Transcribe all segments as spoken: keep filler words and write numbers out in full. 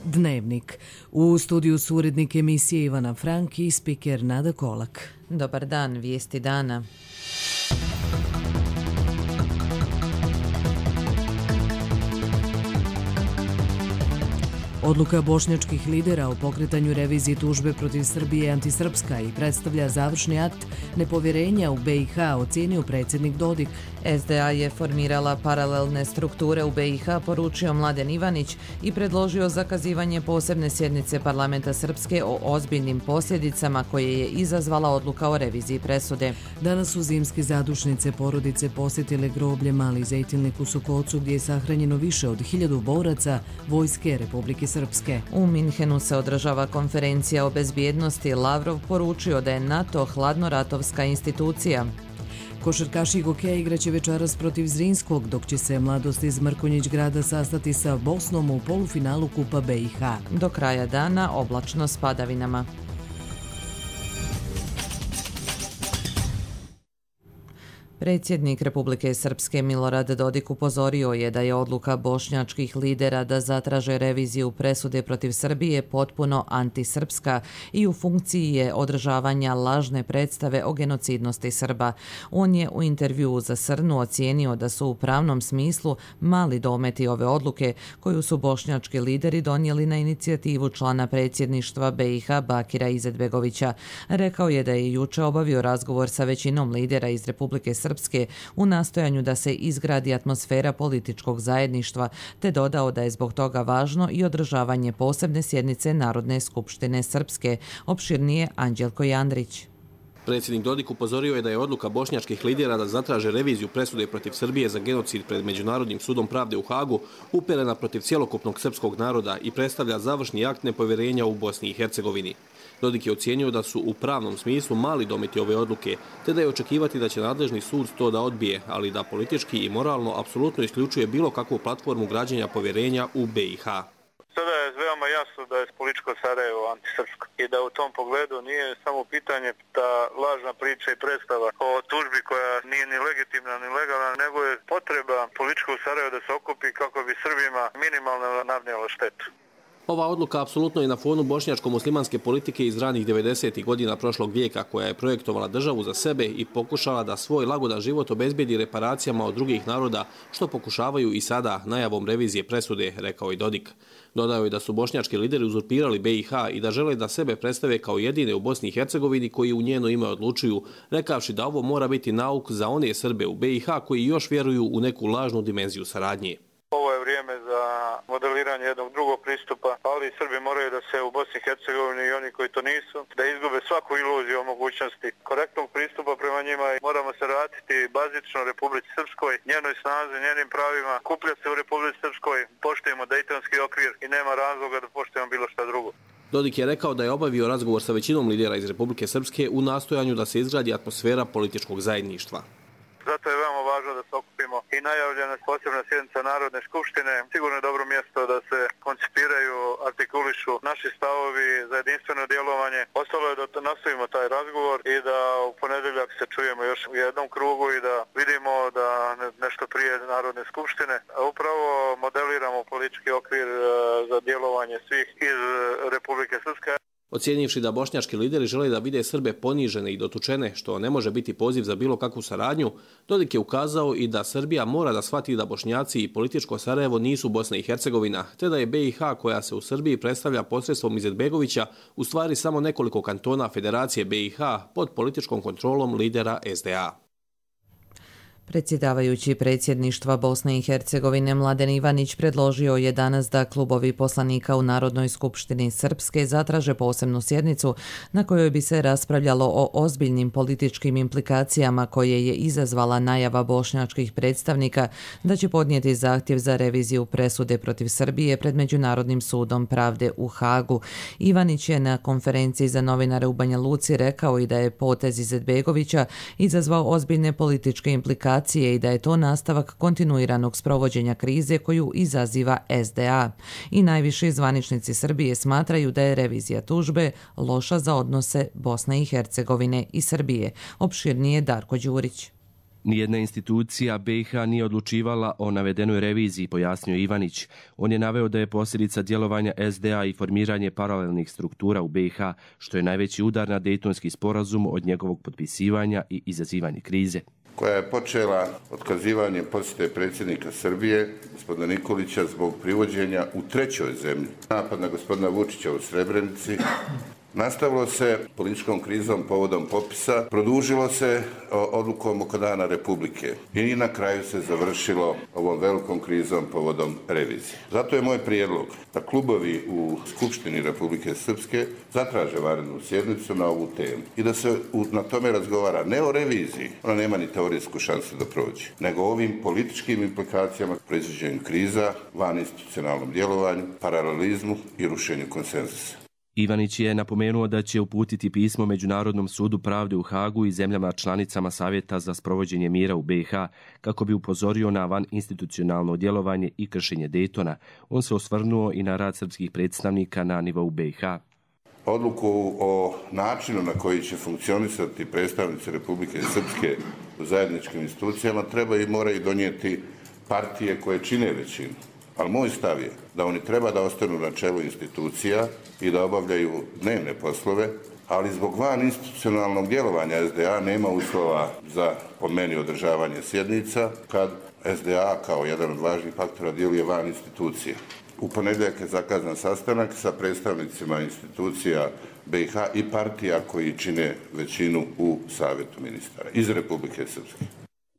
Dnevnik. U studiju su urednik emisije Ivana Frank i spiker Nada Kolak. Dobar dan, vijesti dana. Odluka bošnjačkih lidera o pokretanju revizije tužbe protiv Srbije je antisrpska i predstavlja završni akt nepovjerenja u B i H, ocenio predsjednik Dodik. S D A je formirala paralelne strukture u B i H, poručio Mladen Ivanić i predložio zakazivanje posebne sjednice parlamenta Srpske o ozbiljnim posljedicama koje je izazvala odluka o reviziji presude. Danas su zimske zadušnice porodice posjetile groblje Mali Zejtilnik u Sokocu, gdje je sahranjeno više od hiljadu boraca Vojske Republike Srpske. U Minhenu se održava konferencija o bezbjednosti. Lavrov poručio da je NATO hladnoratovska institucija. Košarkaši Gokeja igraće večeras protiv Zrinskog, dok će se Mladost iz Mrkonjić grada sastati sa Bosnom u polufinalu Kupa B i H. Do kraja dana oblačno s padavinama. Predsjednik Republike Srpske Milorad Dodik upozorio je da je odluka bošnjačkih lidera da zatraže reviziju presude protiv Srbije potpuno antisrpska i u funkciji je održavanja lažne predstave o genocidnosti Srba. On je u intervjuu za Srnu ocijenio da su u pravnom smislu mali dometi ove odluke koju su bošnjački lideri donijeli na inicijativu člana predsjedništva B i H Bakira Izetbegovića. Rekao je da je juče obavio razgovor sa većinom lidera iz Republike Srpske u nastojanju da se izgradi atmosfera političkog zajedništva, te dodao da je zbog toga važno i održavanje posebne sjednice Narodne skupštine Srpske. Opširnije Anđelko Jandrić. Predsjednik Dodik upozorio je da je odluka bošnjačkih lidera da zatraže reviziju presude protiv Srbije za genocid pred Međunarodnim sudom pravde u Hagu uperena protiv cjelokupnog srpskog naroda i predstavlja završni akt nepovjerenja u Bosni i Hercegovini. Dodik je ocijenio da su u pravnom smislu mali dometi ove odluke, te da je očekivati da će nadležni sud to da odbije, ali da politički i moralno apsolutno isključuje bilo kakvu platformu građenja povjerenja u B i H. Sada je veoma jasno da je političko Sarajevo antisrpsko i da u tom pogledu nije samo pitanje ta lažna priča i predstava o tužbi koja nije ni legitimna ni legalna, nego je potreba političkog Sarajeva da se okupi kako bi Srbima minimalno nadnijela štetu. Ova odluka apsolutno je na fonu bošnjačko-muslimanske politike iz ranih devedesetih godina prošlog vijeka, koja je projektovala državu za sebe i pokušala da svoj lagodan život obezbijedi reparacijama od drugih naroda, što pokušavaju i sada najavom revizije presude, rekao i Dodik. Dodao je da su bošnjački lideri uzurpirali B i H i da žele da sebe predstave kao jedine u Bosni i Hercegovini koji u njeno ime odlučuju, rekavši da ovo mora biti nauk za one Srbe u B i H koji još vjeruju u neku lažnu dimenziju saradnje. Ovo je vrijeme za modeliranje jednog drugog pristupa, ali Srbi moraju da se u Bosni i Hercegovini i oni koji to nisu, da izgube svaku iluziju o mogućnosti korektnog pristupa prema njima i moramo se vratiti bazično Republici Srpskoj, njenoj snazi, njenim pravima, kuplja se u Republici Srpskoj, poštujemo Dejtonski okvir i nema razloga da poštujemo bilo šta drugo. Dodik je rekao da je obavio razgovor sa većinom lidera iz Republike Srpske u nastojanju da se izgradi atmosfera političkog zajedništva. Zato je veoma važno da se okupimo i najavljena posebna sjednica Narodne skupštine. Sigurno je dobro mjesto da se koncipiraju, artikulišu naši stavovi za jedinstveno djelovanje. Ostalo je da nastavimo taj razgovor i da u ponedjeljak se čujemo još u jednom krugu i da vidimo da nešto prije Narodne skupštine. Upravo modeliramo politički okvir za djelovanje svih iz Republike Srpske. Ocijenivši da bošnjački lideri žele da vide Srbe ponižene i dotučene, što ne može biti poziv za bilo kakvu saradnju, Dodik je ukazao i da Srbija mora da shvati da Bošnjaci i političko Sarajevo nisu Bosna i Hercegovina, te da je B i H, koja se u Srbiji predstavlja posredstvom Izetbegovića, u stvari samo nekoliko kantona Federacije B i H pod političkom kontrolom lidera S D A. Predsjedavajući predsjedništva Bosne i Hercegovine Mladen Ivanić predložio je danas da klubovi poslanika u Narodnoj skupštini Srpske zatraže posebnu sjednicu na kojoj bi se raspravljalo o ozbiljnim političkim implikacijama koje je izazvala najava bošnjačkih predstavnika da će podnijeti zahtjev za reviziju presude protiv Srbije pred Međunarodnim sudom pravde u Hagu. Ivanić je na konferenciji za novinare u Banja Luci rekao i da je potez Izetbegovića izazvao ozbiljne političke implikacije i da je to nastavak kontinuiranog sprovođenja krize koju izaziva S D A. I najviši zvaničnici Srbije smatraju da je revizija tužbe loša za odnose Bosne i Hercegovine i Srbije. Opširnije Darko Đurić. Nijedna institucija B i H nije odlučivala o navedenoj reviziji, pojasnio Ivanić. On je naveo da je posljedica djelovanja S D A i formiranje paralelnih struktura u B i H, što je najveći udar na Dejtonski sporazum od njegovog potpisivanja i izazivanje krize. Koja je počela otkazivanjem posjete predsjednika Srbije, gospodina Nikolića, zbog privođenja u trećoj zemlji. Napad na gospodina Vučića u Srebrenici. Nastavilo se političkom krizom povodom popisa, produžilo se odlukom oko Dana Republike i na kraju se završilo ovom velikom krizom povodom revizije. Zato je moj prijedlog da klubovi u Skupštini Republike Srpske zatraže vanrednu sjednicu na ovu temu i da se na tome razgovara ne o reviziji, ona nema ni teorijsku šansu da prođe, nego o ovim političkim implikacijama, proizvođenju kriza, vaninstitucionalnom djelovanju, paralelizmu i rušenju konsenzusa. Ivanić je napomenuo da će uputiti pismo Međunarodnom sudu pravde u Hagu i zemljama članicama Savjeta za sprovođenje mira u B i H kako bi upozorio na vaninstitucionalno djelovanje i kršenje Dejtona. On se osvrnuo i na rad srpskih predstavnika na nivou B i H. Odluku o načinu na koji će funkcionisati predstavnici Republike Srpske u zajedničkim institucijama treba i moraju donijeti partije koje čine većinu. Ali moj stav je da oni treba da ostanu na čelu institucija i da obavljaju dnevne poslove, ali zbog van institucionalnog djelovanja S D A nema uslova za, po meni, održavanje sjednica, kad S D A kao jedan od važnih faktora djeluje van institucija. U ponedjeljak je zakazan sastanak sa predstavnicima institucija B i H i partija koji čine većinu u Savjetu ministara iz Republike Srpske.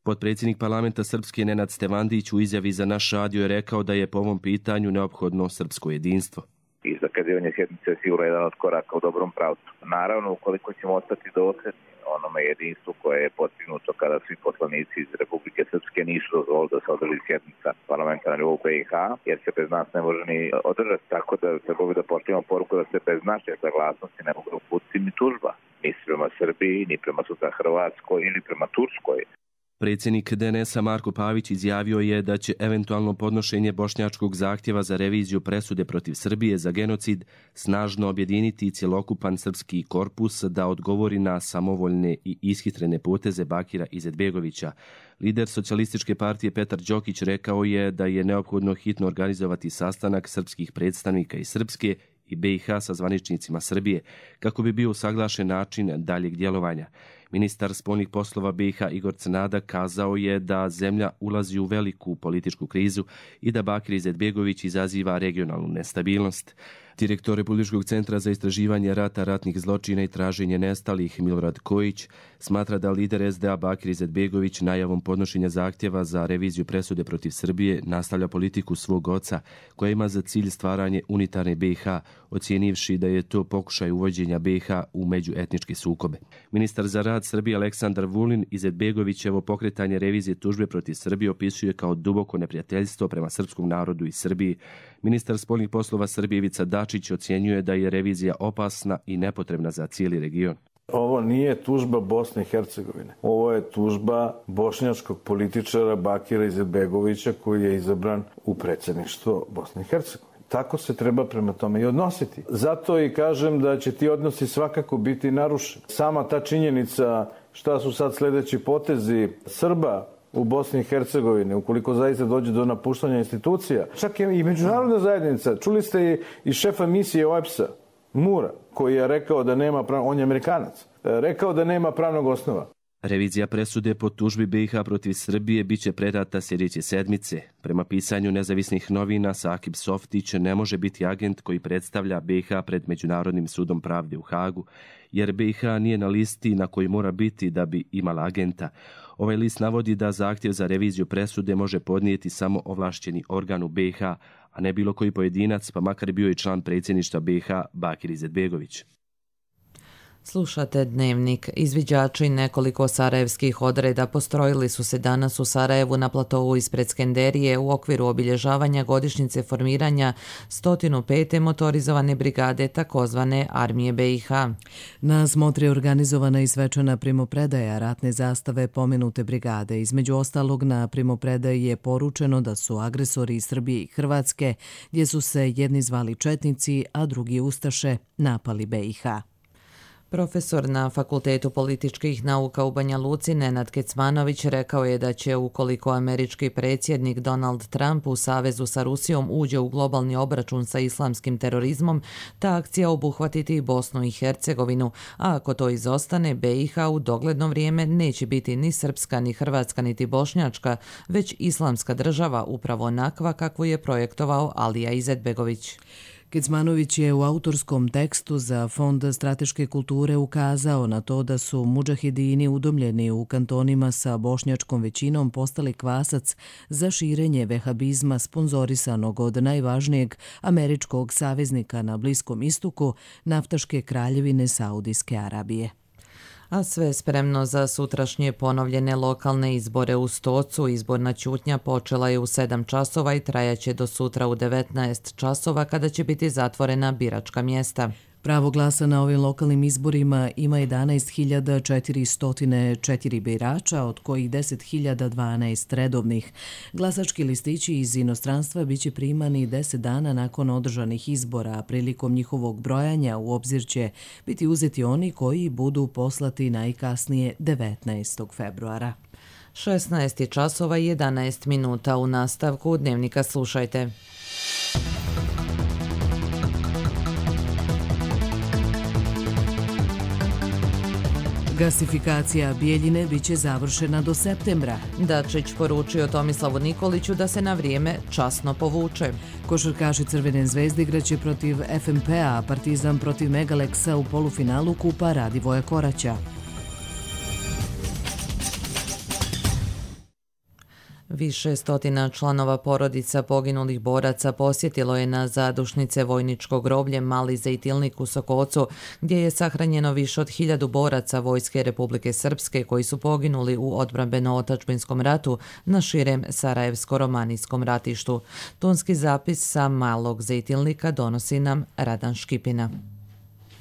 Potpredsjednik parlamenta Srpske Nenad Stevandić u izjavi za naš radio je rekao da je po ovom pitanju neophodno srpsko jedinstvo. I zakazivanje sjednice je sigurno jedan od koraka u dobrom pravcu. Naravno, ukoliko ćemo ostati dosljedni onome jedinstvu koje je postignuto kada svi poslanici iz Republike Srpske nisu dozvolili da se održi sjednica parlamenta na nivou B i H, jer se bez nas ne može ni održati, tako da trebalo bi da pošaljemo poruku da se bez naše saglasnosti ne mogu uputiti ni tužba, ni prema Srbiji, ni prema sutra Hrvatskoj ili prema Turskoj. Predsjednik D N S-a Marko Pavić izjavio je da će eventualno podnošenje bošnjačkog zahtjeva za reviziju presude protiv Srbije za genocid snažno objediniti cjelokupan srpski korpus da odgovori na samovoljne i ishitrene poteze Bakira Izetbegovića. Lider Socijalističke partije Petar Đokić rekao je da je neophodno hitno organizovati sastanak srpskih predstavnika iz Srpske i B i H sa zvaničnicima Srbije kako bi bio usaglašen način daljeg djelovanja. Ministar spoljnih poslova B i H Igor Crnada kazao je da zemlja ulazi u veliku političku krizu i da Bakir Izetbegović izaziva regionalnu nestabilnost. Direktor Republičkog centra za istraživanje rata, ratnih zločina i traženje nestalih Milorad Kojić smatra da lider S D A Bakir Izetbegović najavom podnošenja zahtjeva za reviziju presude protiv Srbije nastavlja politiku svog oca koja ima za cilj stvaranje unitarne B i H, ocijenivši da je to pokušaj uvođenja B i H u međuetničke sukobe. Ministar za rad Srbije Aleksandar Vulin Izetbegovićevo pokretanje revizije tužbe protiv Srbije opisuje kao duboko neprijateljstvo prema srpskom narodu i Srbiji. Ministar spoljnih poslova Srbije Ivica Dačić ocjenjuje da je revizija opasna i nepotrebna za cijeli region. Ovo nije tužba Bosne i Hercegovine. Ovo je tužba bošnjačkog političara Bakira Izetbegovića koji je izabran u predsjedništvo Bosne i Hercegovine. Tako se treba prema tome i odnositi. Zato i kažem da će ti odnosi svakako biti narušeni. Sama ta činjenica šta su sad sljedeći potezi Srba u Bosni i Hercegovini, ukoliko zaista dođe do napuštanja institucija. Čak je i međunarodna zajednica. Čuli ste i šefa misije O E B S-a, Mura, koji je rekao da nema, prav... on je Amerikanac, rekao da nema pravnog osnova. Revizija presude po tužbi B i H protiv Srbije biće predata sljedeće sedmice. Prema pisanju nezavisnih novina, Sakib Softić ne može biti agent koji predstavlja B i H pred Međunarodnim sudom pravde u Hagu, jer B i H nije na listi na koji mora biti da bi imala agenta. Ovaj list navodi da zahtjev za reviziju presude može podnijeti samo ovlašćeni organ u B i H, a ne bilo koji pojedinac, pa makar bio i član predsjedništva B i H Bakir Izetbegović. Slušate Dnevnik. Izviđači nekoliko sarajevskih odreda postrojili su se danas u Sarajevu na platovu ispred Skenderije u okviru obilježavanja godišnjice formiranja sto pete motorizovane brigade takozvane Armije B i H. Na smotri je organizovana i svečana primopredaja ratne zastave pomenute brigade. Između ostalog na primopredaji je poručeno da su agresori iz Srbije i Hrvatske, gdje su se jedni zvali četnici, a drugi ustaše, napali B i H. Profesor na Fakultetu političkih nauka u Banja Luci Nenad Kecmanović rekao je da će, ukoliko američki predsjednik Donald Trump u savezu sa Rusijom uđe u globalni obračun sa islamskim terorizmom, ta akcija obuhvatiti i Bosnu i Hercegovinu, a ako to izostane, be i ha u dogledno vrijeme neće biti ni srpska, ni hrvatska, niti bošnjačka, već islamska država, upravo onakva kakvu je projektovao Alija Izetbegović. Kecmanović je u autorskom tekstu za Fond strateške kulture ukazao na to da su mudžahedini udomljeni u kantonima sa bošnjačkom većinom postali kvasac za širenje vehabizma sponzorisanog od najvažnijeg američkog saveznika na Bliskom istoku, naftaške kraljevine Saudijske Arabije. A sve spremno za sutrašnje ponovljene lokalne izbore u Stocu. Izborna ćutnja počela je u sedam časova i trajaće do sutra u devetnaest časova kada će biti zatvorena biračka mjesta. Pravo glasa na ovim lokalnim izborima ima jedanaest hiljada četiristo četiri birača, od kojih deset hiljada dvanaest redovnih. Glasački listići iz inostranstva biće primani deset dana nakon održanih izbora, a prilikom njihovog brojanja u obzir će biti uzeti oni koji budu poslati najkasnije devetnaestog februara. šesnaest časova i jedanaest minuta. U nastavku Dnevnika slušajte. Gasifikacija Bijeljine biće završena do septembra. Dačić poručio Tomislavu Nikoliću da se na vrijeme časno povuče. Košarkaši Crvene zvezde igraće protiv ef em pe a, Partizan protiv Megaleksa u polufinalu Kupa Radivoja Koraća. Više stotina članova porodica poginulih boraca posjetilo je na zadušnice vojničkog groblje Mali Zejtilnik u Sokocu, gdje je sahranjeno više od hiljadu boraca Vojske Republike Srpske koji su poginuli u odbrambeno-otačbinskom ratu na širem Sarajevsko-romanijskom ratištu. Tonski zapis sa Malog Zejtilnika donosi nam Radan Škipina.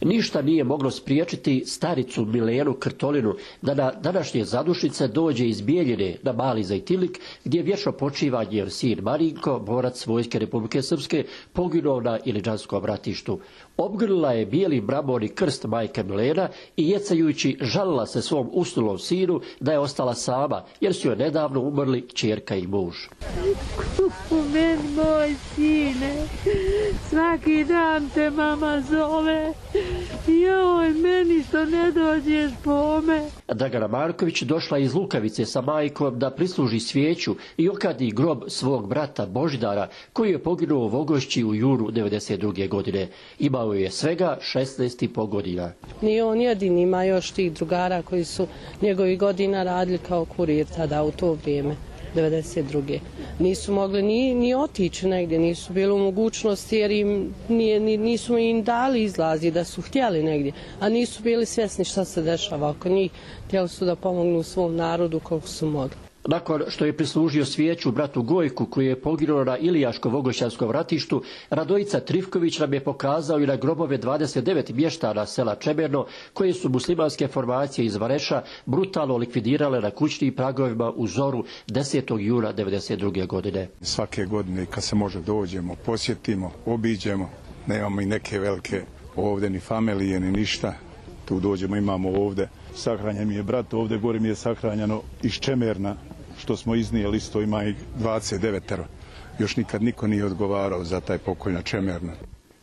Ništa nije moglo spriječiti staricu Milenu Krtolinu da na današnje zadušnice dođe iz Bijeljine na Mali Zejtilnik, gdje vječno počiva njen sin Marinko, borac Vojske Republike Srpske, poginuo na Iliđanskom ratištu. Obgrlila je bijeli mramorni krst majke Milena i jecajući žalila se svom usnulom sinu da je ostala sama, jer su joj nedavno umrli kćerka i muž. Meni moj sine, svaki dan te mama zove, joj, meni što ne dođeš po me. Dragana Marković došla iz Lukavice sa majkom da prisluži svijeću i okadi grob svog brata Božidara, koji je poginuo u Vogošći u junu devedeset druge godine. Imao je svega šesnaest i po godina. Nije on jedin, ima još tih drugara koji su njegovi godina radili kao kurir tada u to vrijeme. devedeset druge. Nisu mogli ni, ni otići negdje, nisu bili u mogućnosti jer im nije, ni, nisu im dali izlazi da su htjeli negdje, a nisu bili svjesni šta se dešava oko njih. Htjeli su da pomognu svom narodu koliko su mogli. Nakon što je prislužio svijeću bratu Gojku, koji je poginuo na Ilijaško-Vogošćanskom ratištu, Radojica Trifković nam je pokazao i na grobove dvadeset devet mještana sela Čemerno, koje su muslimanske formacije iz Vareša brutalno likvidirale na kućnim pragovima u zoru desetog juna devedeset druge godine. Svake godine kad se može dođemo, posjetimo, obiđemo, nemamo i neke velike ovdje ni familije ni ništa, tu dođemo, imamo ovdje. Sahranjen mi je brat, ovdje gore mi je sahranjeno iz Čemerna, što smo iznijeli, isto ima ih dvadeset devet. Još nikad niko nije odgovarao za taj pokolj na Čemerna.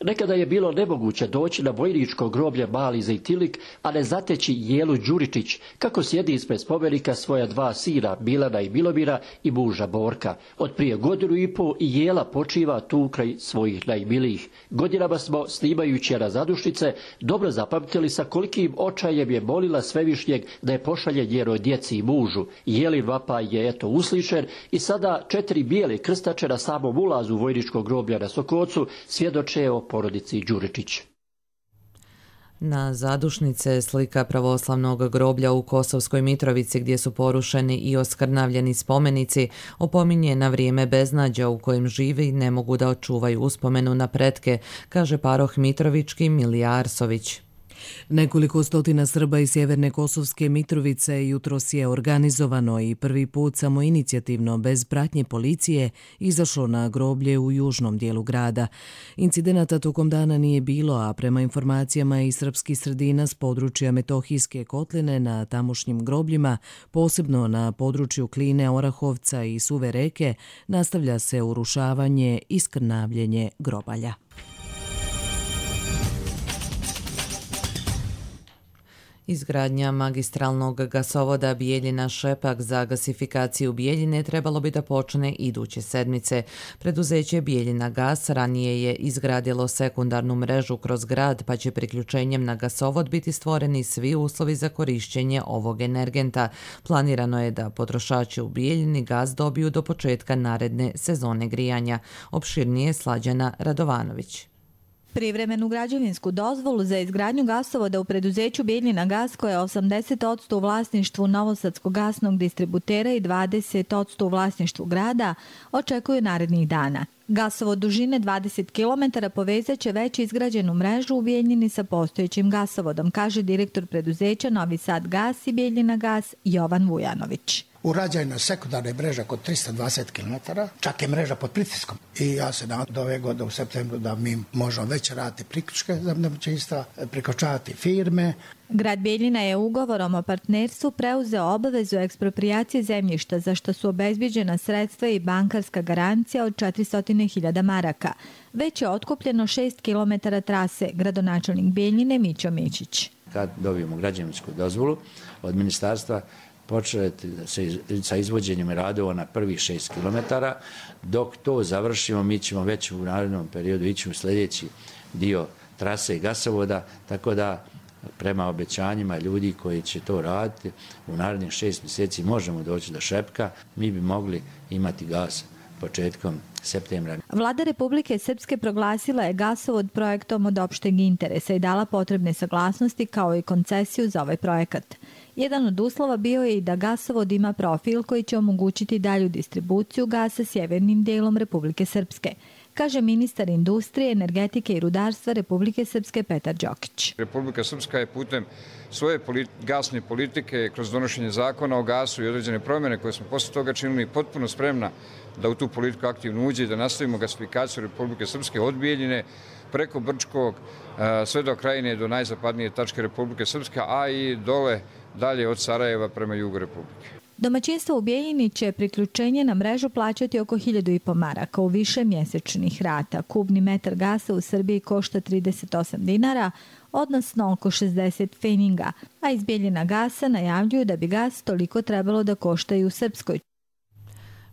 Nekada je bilo nemoguće doći na vojničko groblje Mali Zejtilnik, a ne zateći Jelu Đuričić, kako sjedi ispred spomenika svoja dva sina, Milana i Milomira, i muža Borka. Od prije godinu i pol i Jela počiva tu kraj svojih najmilijih. Godinama smo, snimajući na zadušnice, dobro zapamtili sa kolikim očajem je molila Svevišnjeg da je pošalje njenoj djeci i mužu. Jelin vapaj je eto uslišen i sada četiri bijele krstače na samom ulazu vojničkog groblja na Sokocu svjedoče o porodici Đuričić. Na zadušnice slika pravoslavnog groblja u Kosovskoj Mitrovici, gdje su porušeni i oskrnavljeni spomenici, opominje na vrijeme beznađa u kojem živi i ne mogu da očuvaju uspomenu na pretke, kaže paroh Mitrovički Milija Arsović. Nekoliko stotina Srba iz sjeverne Kosovske Mitrovice jutros je organizovano i prvi put samoinicijativno bez pratnje policije izašlo na groblje u južnom dijelu grada. Incidenata tokom dana nije bilo, a prema informacijama iz srpskih sredina s područja Metohijske kotline na tamošnjim grobljima, posebno na području Kline, Orahovca i Suve reke, nastavlja se urušavanje i skrnavljenje grobalja. Izgradnja magistralnog gasovoda Bijeljina-Šepak za gasifikaciju Bijeljine trebalo bi da počne iduće sedmice. Preduzeće Bijeljina gas ranije je izgradilo sekundarnu mrežu kroz grad, pa će priključenjem na gasovod biti stvoreni svi uslovi za korišćenje ovog energenta. Planirano je da potrošači u Bijeljini gas dobiju do početka naredne sezone grijanja. Opširnije Slađana Radovanović. Privremenu građevinsku dozvolu za izgradnju gasovoda u preduzeću Bijeljina gas, koje je osamdeset posto u vlasništvu Novosadskog gasnog distributera i dvadeset posto u vlasništvu grada, očekuju narednih dana. Gasovod dužine dvadeset kilometara povezaće već izgrađenu mrežu u Bijeljini sa postojećim gasovodom, kaže direktor preduzeća Novi Sad gas i Bijeljina gas Jovan Vujanović. Urađena je sekundarna mreža kod trista dvadeset kilometara, čak je mreža pod pritiskom. I ja se nadam do ove godine u septembru da mi možemo već raditi priključke za domaćinstva, priključavati firme. Grad Bijeljina je ugovorom o partnerstvu preuzeo obavezu eksproprijacije zemljišta, za što su obezbeđena sredstva i bankarska garancija od četiristo hiljada maraka. Već je otkupljeno šest kilometara trase, gradonačelnik Bijeljine Mićo Mićić. Kad dobijemo građevinsku dozvolu od ministarstva, početi sa izvođenjem radova na prvih šest kilometara. Dok to završimo, mi ćemo već u narednom periodu ići u sljedeći dio trase i gasovoda, tako da prema obećanjima ljudi koji će to raditi, u narednih šest mjeseci možemo doći do Šepka, mi bi mogli imati gas početkom septembra. Vlada Republike Srpske proglasila je gasovod projektom od opšteg interesa i dala potrebne saglasnosti kao i koncesiju za ovaj projekat. Jedan od uslova bio je i da gasovod ima profil koji će omogućiti dalju distribuciju gasa sjevernim dijelom Republike Srpske, kaže ministar industrije, energetike i rudarstva Republike Srpske Petar Đokić. Republika Srpska je putem svoje gasne politike, kroz donošenje zakona o gasu i određene promjene koje smo posle toga činili, potpuno spremna da u tu politiku aktivno uđe i da nastavimo gasifikaciju Republike Srpske od Bijeljine preko Brčkog, sve do Krajine, do najzapadnije tačke Republike Srpske, a i dole dalje od Sarajeva prema jugu Republike. Domaćinstvo u Bijeljini će priključenje na mrežu plaćati oko hiljadu i po maraka u više mjesečnih rata. Kubni metar gasa u Srbiji košta trideset osam dinara, odnosno oko šezdeset feninga, a iz Bijeljina gasa najavljuju da bi gas toliko trebalo da košta i u Srpskoj.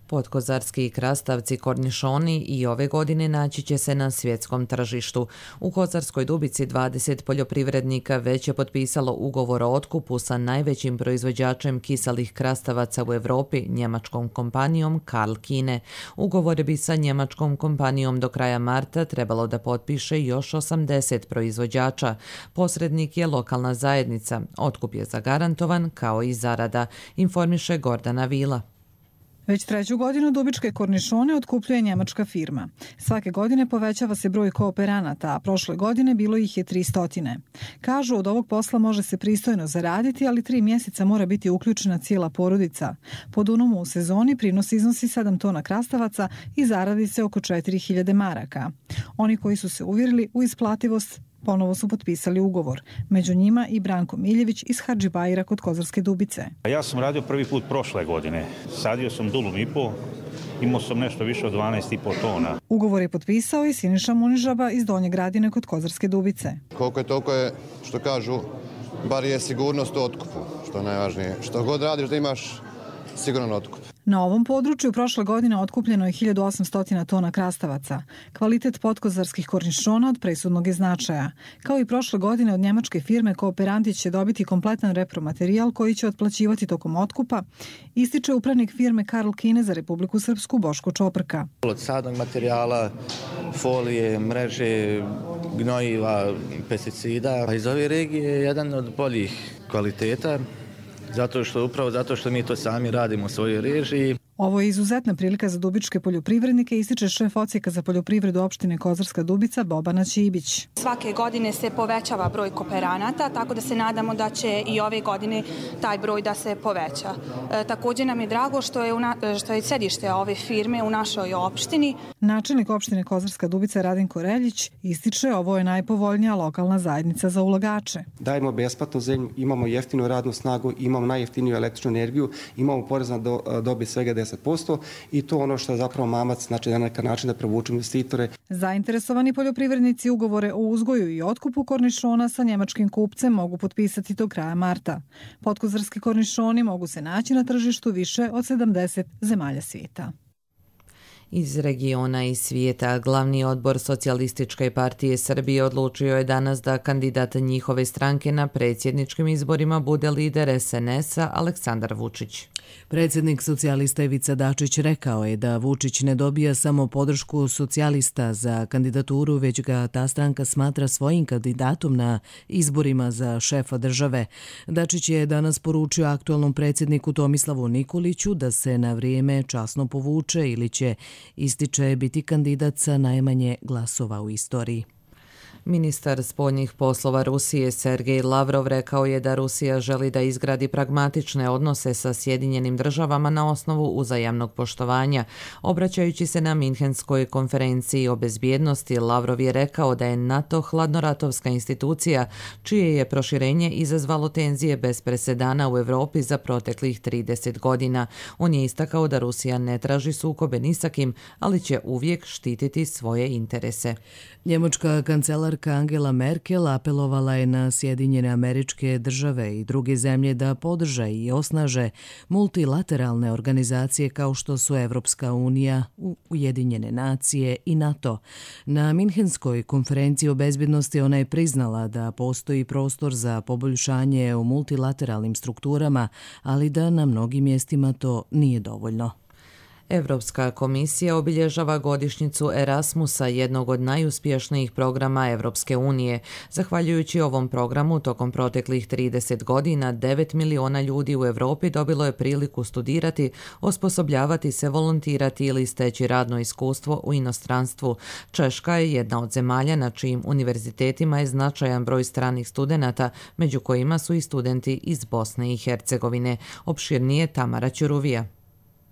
Potkozarski krastavci kornišoni i ove godine naći će se na svjetskom tržištu. U Kozarskoj Dubici dvadeset poljoprivrednika već je potpisalo ugovor o otkupu sa najvećim proizvođačem kiselih krastavaca u Evropi, njemačkom kompanijom Karl Kine. Ugovor bi sa njemačkom kompanijom do kraja marta trebalo da potpiše još osamdeset proizvođača. Posrednik je lokalna zajednica. Otkup je zagarantovan kao i zarada, informiše Gordana Vila. Već treću godinu dubičke kornišone otkupljuje njemačka firma. Svake godine povećava se broj kooperanata, a prošle godine bilo ih je tristo. Kažu, od ovog posla može se pristojno zaraditi, ali tri mjeseca mora biti uključena cijela porodica. Po Dunamu u sezoni prinos iznosi sedam tona krastavaca i zaradi se oko četiri hiljade maraka. Oni koji su se uvjerili u isplativost ponovo su potpisali ugovor. Među njima i Branko Miljević iz Hadžibajra kod Kozarske Dubice. Ja sam radio prvi put prošle godine. Sadio sam dulum i po, imao sam nešto više od dvanaest i po tona. Ugovor je potpisao i Siniša Munižaba iz Donje Gradine kod Kozarske Dubice. Koliko je toliko je, što kažu, bar je sigurnost u otkupu, što je najvažnije. Što god radiš da imaš siguran otkup. Na ovom području prošle godine otkupljeno je hiljadu osamsto tona krastavaca. Kvalitet potkozarskih kornišona od presudnog je značaja. Kao i prošle godine od njemačke firme kooperanti će dobiti kompletan repromaterijal koji će otplaćivati tokom otkupa, ističe upravnik firme Karl Kine za Republiku Srpsku Boško Čoprka. Od sadnog materijala, folije, mreže, gnojiva, pesticida. A iz ove regije je jedan od boljih kvaliteta. Zato što, upravo zato što mi to sami radimo u svojoj režiji. Ovo je izuzetna prilika za dubičke poljoprivrednike, ističe šef odsjeka za poljoprivredu opštine Kozarska Dubica Bobana Ćibić. Svake godine se povećava broj kooperanata, tako da se nadamo da će i ove godine taj broj da se poveća. E, također nam je drago što je, una, što je sedište ove firme u našoj opštini. Načelnik opštine Kozarska Dubica Radinko Reljić ističe ovo je najpovoljnija lokalna zajednica za ulagače. Dajemo besplatnu zemlju, imamo jeftinu radnu snagu, imamo najjeftiniju električnu energiju, imamo porez na do, dobit svega deset posto i to ono što je zapravo mamac, znači na neki način da privuču investitore. Zainteresovani poljoprivrednici ugovore o uzgoju i otkupu kornišona sa njemačkim kupcem mogu potpisati do kraja marta. Podkozarski kornišoni mogu se naći na tržištu više od sedamdeset zemalja svijeta. Iz regiona i svijeta, glavni odbor Socijalističke partije Srbije odlučio je danas da kandidat njihove stranke na predsjedničkim izborima bude lider es en es-a Aleksandar Vučić. Predsjednik socijalista Ivica Dačić rekao je da Vučić ne dobija samo podršku socijalista za kandidaturu, već ga ta stranka smatra svojim kandidatom na izborima za šefa države. Dačić je danas poručio aktualnom predsjedniku Tomislavu Nikoliću da se na vrijeme časno povuče ili će, ističe, biti kandidat sa najmanje glasova u istoriji. Ministar spoljnih poslova Rusije Sergej Lavrov rekao je da Rusija želi da izgradi pragmatične odnose sa Sjedinjenim državama na osnovu uzajamnog poštovanja. Obraćajući se na Minhenskoj konferenciji o bezbjednosti, Lavrov je rekao da je NATO hladnoratovska institucija čije je proširenje izazvalo tenzije bez presedana u Evropi za proteklih trideset godina. On je istakao da Rusija ne traži sukobe ni sa kim, ali će uvijek štititi svoje interese. Njemačka kancelarka Angela Merkel apelovala je na Sjedinjene Američke Države i druge zemlje da podrže i osnaže multilateralne organizacije kao što su Evropska unija, Ujedinjene nacije i NATO. Na Minhenskoj konferenciji o bezbjednosti ona je priznala da postoji prostor za poboljšanje u multilateralnim strukturama, ali da na mnogim mjestima to nije dovoljno. Evropska komisija obilježava godišnjicu Erasmusa, jednog od najuspješnijih programa Evropske unije. Zahvaljujući ovom programu, tokom proteklih trideset godina, devet miliona ljudi u Evropi dobilo je priliku studirati, osposobljavati se, volontirati ili steći radno iskustvo u inostranstvu. Češka je jedna od zemalja na čijim univerzitetima je značajan broj stranih studenata, među kojima su i studenti iz Bosne i Hercegovine. Opširnije Tamara Ćuruvija.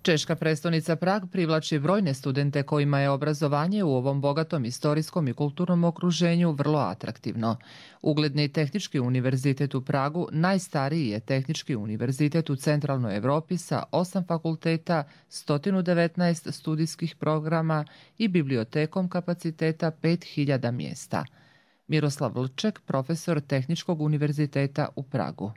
Češka prestonica Prag privlači brojne studente kojima je obrazovanje u ovom bogatom istorijskom i kulturnom okruženju vrlo atraktivno. Ugledni tehnički univerzitet u Pragu najstariji je tehnički univerzitet u centralnoj Evropi sa osam fakulteta, sto devetnaest studijskih programa i bibliotekom kapaciteta pet hiljada mjesta. Miroslav Vlček, profesor Tehničkog univerziteta u Pragu.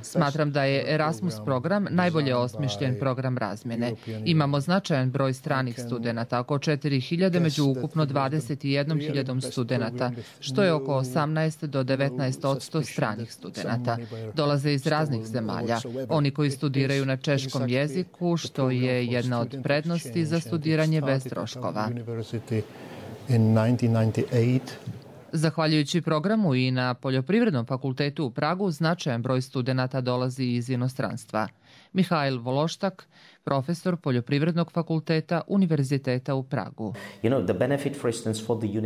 Smatram da je Erasmus program najbolje osmišljen program razmjene. Imamo značajan broj stranih studenata, oko četiri hiljade među ukupno dvadeset jednom hiljadom studenata, što je oko osamnaest do devetnaest posto stranih studenata. Dolaze iz raznih zemalja. Oni koji studiraju na češkom jeziku, što je jedna od prednosti za studiranje bez troškova. Zahvaljujući programu i na Poljoprivrednom fakultetu u Pragu, značajan broj studenata dolazi iz inostranstva. Mihajl Vološtak, profesor Poljoprivrednog fakulteta Univerziteta u Pragu.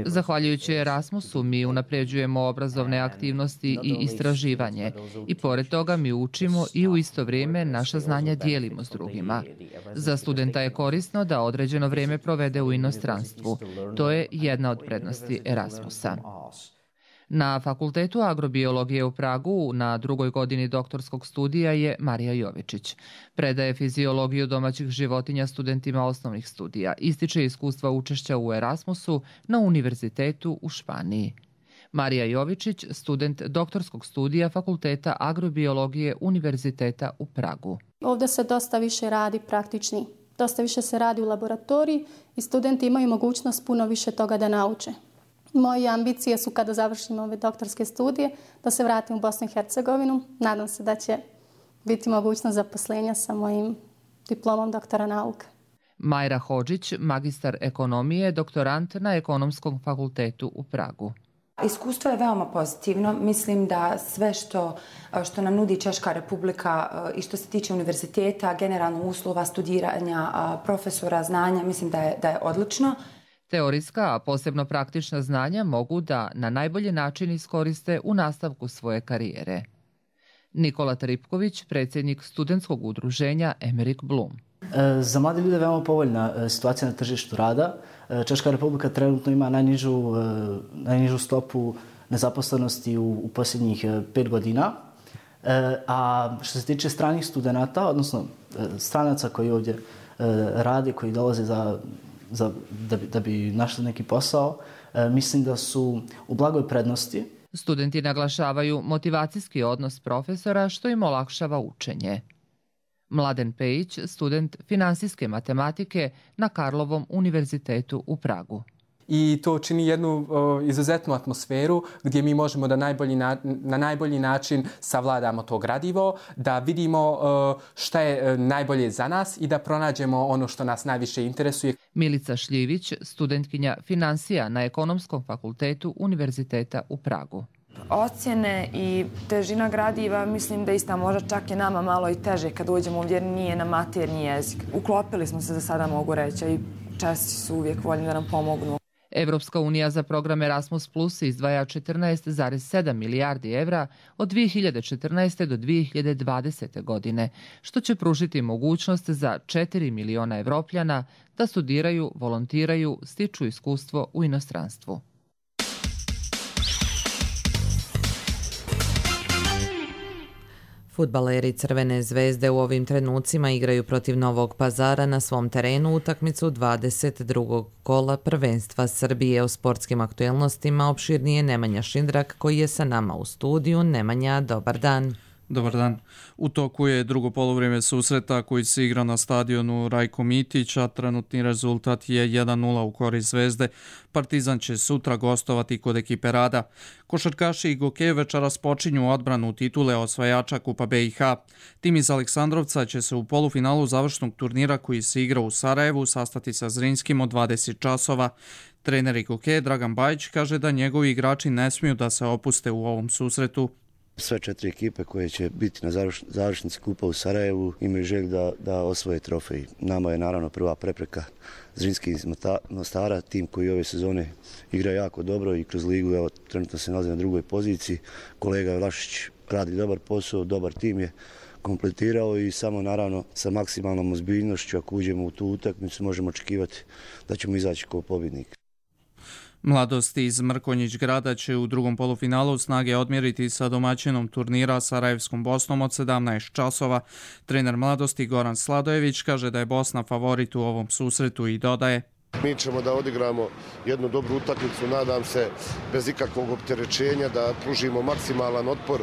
Zahvaljujući Erasmusu mi unapređujemo obrazovne aktivnosti i istraživanje i pored toga mi učimo i u isto vrijeme naša znanja dijelimo s drugima. Za studenta je korisno da određeno vrijeme provede u inostranstvu. To je jedna od prednosti Erasmusa. Na Fakultetu agrobiologije u Pragu na drugoj godini doktorskog studija je Marija Jovičić. Predaje fiziologiju domaćih životinja studentima osnovnih studija. Ističe iskustva učešća u Erasmusu na univerzitetu u Španiji. Marija Jovičić, student doktorskog studija Fakulteta agrobiologije Univerziteta u Pragu. Ovdje se dosta više radi praktični. Dosta više se radi u laboratoriji i studenti imaju mogućnost puno više toga da nauče. Moje ambicije su kada završim ove doktorske studije da se vratim u Bosnu i Hercegovinu. Nadam se da će biti mogućnost zaposlenja sa mojim diplomom doktora nauka. Majra Hodžić, magistar ekonomije, doktorant na Ekonomskom fakultetu u Pragu. Iskustvo je veoma pozitivno. Mislim da sve što, što nam nudi Češka Republika i što se tiče univerziteta, generalno uslova studiranja, profesora, znanja, mislim da je, da je odlično. Teorijska, a posebno praktična znanja mogu da na najbolji način iskoriste u nastavku svoje karijere. Nikola Tripković, predsjednik studentskog udruženja Emerick Bloom. Za mlade ljude je veoma povoljna situacija na tržištu rada. Češka Republika trenutno ima najnižu, najnižu stopu nezaposlenosti u, u posljednjih pet godina. A što se tiče stranih studenata, odnosno stranaca koji ovdje rade, koji dolaze za, za, da, bi, da bi našli neki posao, mislim da su u blagoj prednosti. Studenti naglašavaju motivacijski odnos profesora što im olakšava učenje. Mladen Pejić, student finansijske matematike na Karlovom univerzitetu u Pragu. I to čini jednu o, izuzetnu atmosferu gdje mi možemo da najbolji na, na najbolji način savladamo to gradivo, da vidimo o, šta je najbolje za nas i da pronađemo ono što nas najviše interesuje. Milica Šljivić, studentkinja finansija na Ekonomskom fakultetu Univerziteta u Pragu. Ocjene i težina gradiva, mislim da ista možda čak je nama malo i teže kad uđemo ovdje, nije na maternji jezik. Uklopili smo se za sada, mogu reći, i Česi su uvijek voljni da nam pomognu. Evropska unija za program Erasmus Plus izdvaja četrnaest zarez sedam milijardi evra od dvije hiljade četrnaeste do dvije hiljade dvadesete. godine, što će pružiti mogućnost za četiri miliona Evropljana da studiraju, volontiraju, stiču iskustvo u inostranstvu. Fudbaleri Crvene zvezde u ovim trenucima igraju protiv Novog Pazara na svom terenu utakmicu dvadeset drugog kola prvenstva Srbije. O sportskim aktuelnostima opširnije Nemanja Šindrak koji je sa nama u studiju. Nemanja, dobar dan. Dobar dan. U toku je drugo polovrijeme susreta koji se igra na stadionu Rajko Mitić, a trenutni rezultat je jedan nula u korist Zvezde. Partizan će sutra gostovati kod ekipe Rada. Košarkaši i Gokeje večeras počinju odbranu titule osvajača Kupa B i H. Tim iz Aleksandrovca će se u polufinalu završnog turnira koji se igra u Sarajevu sastati sa Zrinskim od dvadeset časova. Trener Gokeje Dragan Bajić kaže da njegovi igrači ne smiju da se opuste u ovom susretu. Sve četiri ekipe koje će biti na završnici Kupa u Sarajevu imaju želju da, da osvoje trofej. Nama je naravno prva prepreka Zrinski iz Mostara, tim koji ove sezone igra jako dobro i kroz ligu, evo, trenutno se nalazi na drugoj poziciji. Kolega Vlašić radi dobar posao, dobar tim je kompletirao i samo naravno sa maksimalnom ozbiljnošću, ako uđemo u tu utakmicu, možemo očekivati da ćemo izaći kao pobjednik. Mladosti iz Mrkonjić grada će u drugom polufinalu snage odmjeriti sa domaćinom turnira Sarajevskom Bosnom od sedamnaest časova. Trener Mladosti Goran Sladojević kaže da je Bosna favorit u ovom susretu i dodaje: Mi ćemo da odigramo jednu dobru utakmicu, nadam se, bez ikakvog opterećenja, da pružimo maksimalan otpor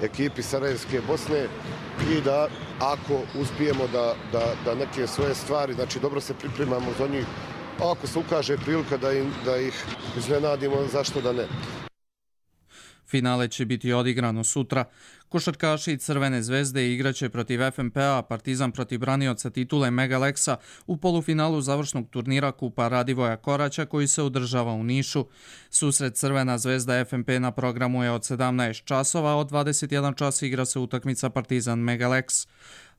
ekipi Sarajevske Bosne i da, ako uspijemo da, da, da neke svoje stvari, znači dobro se pripremamo za njih, a ako se ukaže prilika da, im, da ih iznenadimo, zašto da ne. Finale će biti odigrano sutra. Košarkaši Crvene zvezde igraće protiv F M P-a, Partizan protiv branioca titule Megaleksa u polufinalu završnog turnira Kupa Radivoja Koraća koji se održava u Nišu. Susret Crvena zvezda F M P na programu je od sedamnaest časova, od dvadeset jedan čas igra se utakmica Partizan Megaleks.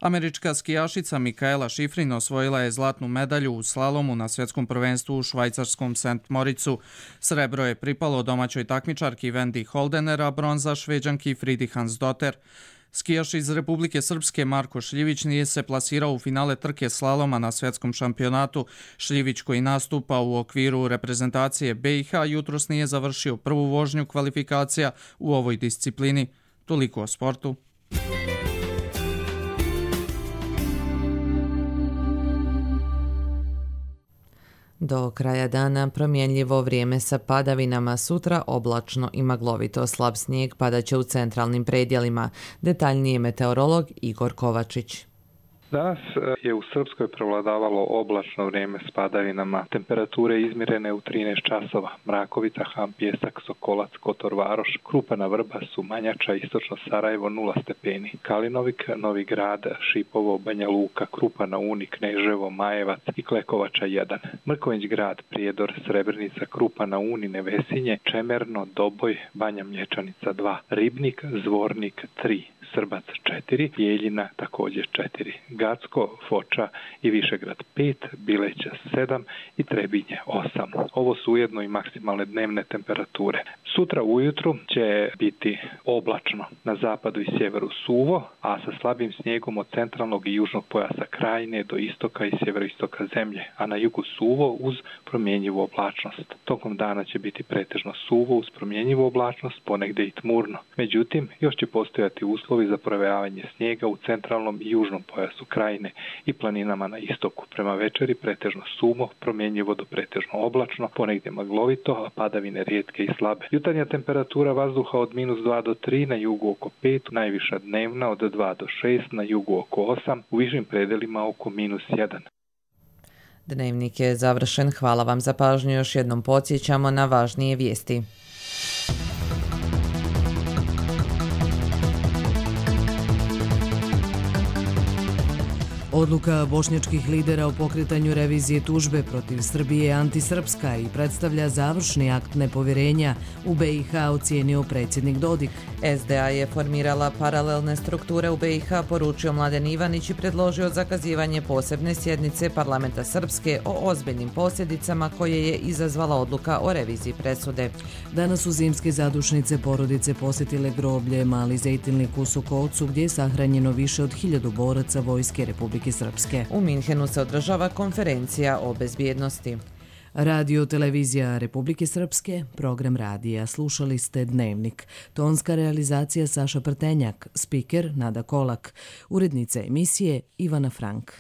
Američka skijašica Mikaela Šifrin osvojila je zlatnu medalju u slalomu na svjetskom prvenstvu u švajcarskom Saint Moricu. Srebro je pripalo domaćoj takmičarki Wendy Holdener, a bronza Šveđanki Fridi Hansdotter. Skijaš iz Republike Srpske Marko Šljivić nije se plasirao u finale trke slaloma na svjetskom šampionatu. Šljivić, koji nastupa u okviru reprezentacije B i H, jutros nije završio prvu vožnju kvalifikacija u ovoj disciplini. Toliko o sportu. Do kraja dana promjenljivo vrijeme sa padavinama, sutra oblačno i maglovito, slab snijeg padaće u centralnim predjelima. Detaljnije meteorolog Igor Kovačić. Danas je u Srpskoj prevladavalo oblačno vrijeme s padavinama. Temperature izmjerene u trinaest časova. Mrakovica, Han, Pjesak, Sokolac, Kotor Varoš, Krupana Vrba, Sumanjača, Istočno Sarajevo nula stepeni. Kalinovik, Novi Grad, Šipovo, Banja Luka, Krupana Uni, Kneževo, Majevac i Klekovača jedan. Mrković Grad, Prijedor, Srebrenica, Krupana Uni, Nevesinje, Čemerno, Doboj, Banja Mlječanica dva. Ribnik, Zvornik tri. Srbac četiri, Jeljina također četiri, Gacko, Foča i Višegrad pet, Bileća sedam i Trebinje osam. Ovo su ujedno i maksimalne dnevne temperature. Sutra ujutru će biti oblačno, na zapadu i sjeveru suvo, a sa slabim snijegom od centralnog i južnog pojasa Krajine do istoka i sjeveroistoka zemlje, a na jugu suvo uz promjenjivu oblačnost. Tokom dana će biti pretežno suvo uz promjenjivu oblačnost, ponegdje i tmurno. Međutim, još će postojati uslovi za provejavanje snijega u centralnom i južnom pojasu Krajine i planinama na istoku. Prema večeri pretežno suvo, promjenjivo do pretežno oblačno, ponegdje maglovito, a padavine rijetke i slabe. Jutarnja temperatura vazduha od minus dva do tri, na jugu oko pet, najviša dnevna od dva do šest, na jugu oko osam, u višim predelima oko minus jedan. Dnevnik je završen. Hvala vam za pažnju. Još jednom podsjećamo na važnije vijesti. Odluka bošnjačkih lidera o pokretanju revizije tužbe protiv Srbije je antisrpska i predstavlja završni akt nepovjerenja, u B i H ocijenio predsjednik Dodik. S D A je formirala paralelne strukture u B i H, poručio Mladen Ivanić i predložio zakazivanje posebne sjednice parlamenta Srpske o ozbiljnim posljedicama koje je izazvala odluka o reviziji presude. Danas su zimske zadušnice porodice posjetile groblje Mali Zejtilnik u Sokocu, gdje je sahranjeno više od hiljadu boraca Vojske Republike Srpske. U Minhenu se održava konferencija o bezbjednosti. Radio televizija Republike Srpske, program radija. Slušali ste Dnevnik. Tonska realizacija Saša Prtenjak, spiker Nada Kolak, urednica emisije Ivana Frank.